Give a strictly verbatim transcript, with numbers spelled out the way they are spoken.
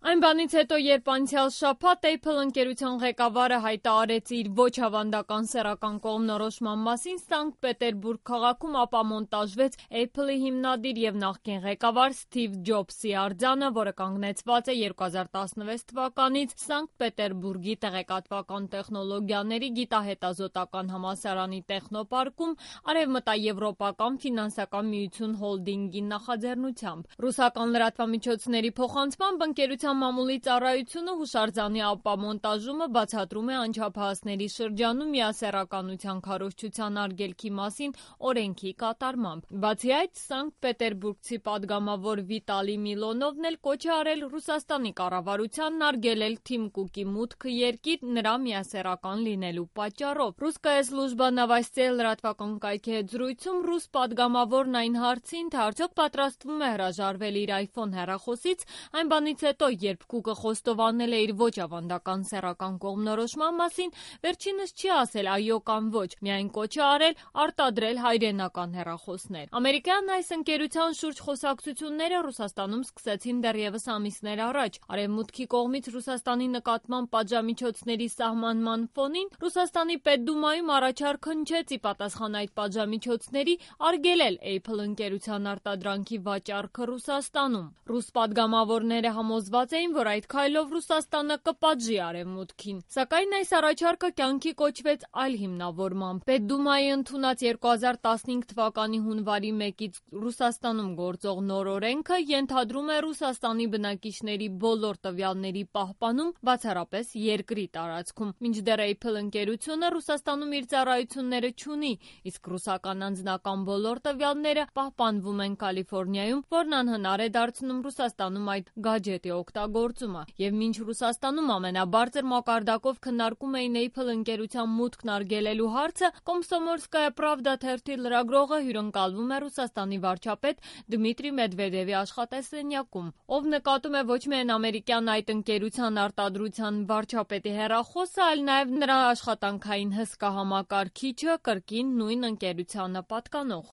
Այն բանից հետո, երբ անցյալ շաբաթ Apple ընկերության ղեկավարը հայտարարեց իր ոչ ավանդական սեռական կողմնորոշման մասին, Սանկտ Պետերբուրգ քաղաքում ապամոնտաժվեց Apple-ի հիմնադիր և նախկին ղեկավար Սթիվ Ջոբսի արձանը, որը կանգնեցված է երկու հազար տասնվեց թվականից Սանկտ Պետերբուրգի տեղեկատվական տեխնոլոգիաների գիտահետազոտական համալսարանի տեխնոպարկում Արևմտաեվրոպական ֆինանսական միություն հոլդինգի նախաձեռնությամբ։ Ռուսական լրատվամիջոցների փոխանցմամբ ընկերության մամուլի ծառայությունը հուշարձանի ապամոնտաժումը բացատրում է անչափահասների շրջանում միասեռականության քարոզչության արգելքի մասին օրենքի կատարմամբ։ Բացի այդ, Սանկտ Պետերբուրգցի падգամավոր Վիտալի Միլոնովն էլ կոչ է արել Ռուսաստանի կառավարությանն արգելել Թիմ Կուկի մուտքը երկիր նրա միասեռական լինելու պատճառով։ Ռուսская служба новостей լրատվական կայքի հետ զրույցում ռուս падգամավորն այն հարցին, թե արդյոք պատրաստվում է հրաժարվել իր iPhone հեռախոսից, այն բանից հետո, երբ Կուկը խոստովանել է իր ոչ ավանդական սեռական կողմնորոշման մասին, վերջինս չի ասել այո կամ ոչ, միայն կոչ է արել արտադրել հայրենական հեռախոսներ։ Ամերիկյան այս ընկերության շուրջ խոսակցությունները Ռուսաստանում սկսեցին դեռևս ամիսներ առաջ։ Արևմուտքի կողմից Ռուսաստանի նկատմամբ պատժամիջոցների սահմանման ֆոնին Ռուսաստանի Պետդումայում առաջարկ հնչեց ի պատասխան այդ պատժամիջոցների արգելել Apple ընկերության արտադրանքի վաճառքը Ռուսաստանում։ Ռուս падգամավորները համոզված էին, որ այդ քայլով Ռուսաստանը կպատժի Արևմուտքին։ Սակայն այս առաջարկը կյանքի կոչվեց այլ հիմնավորմամբ։ Պետդումայի ընդունած երկու հազար տասնհինգ թվականի հունվարի մեկից Ռուսաստանում գործող նոր օրենքը ենթադրում է Ռուսաստանի բնակիչների բոլոր տվյալների պահպանում, բացառապես երկրի տարածքում։ Մինչդեռ Apple ընկերությունը Ռուսաստանում իր ծառայությունները չունի, իսկ ռուսական անձնական բոլոր տվյալները պահպանվում են Կալիֆոռնիայում, որն անհնար է դարձնում Ռուսաստանում այդ գաջետի օգտագործումը։ Եվ մինչ Ռուսաստանում ամենաբարձր մակարդակով քննարկում էին Apple ընկերության մուտքն արգելելու հարցը, Կոմսոմոլսկայա Պրավդա թերթի լրագրողը հյուրընկալվում է Ռուսաստանի վարչապետ Դմիտրի Մեդվեդևի աշխատասենյակում, ով նկատում է ոչ միայն ամերիկյան այդ ընկերության արտադրության վարչապետի հեռախոսը, այլ նաև նրա աշխատանքային հսկա համակարգիչը, կրկին նույն ընկերությանը պատկանող։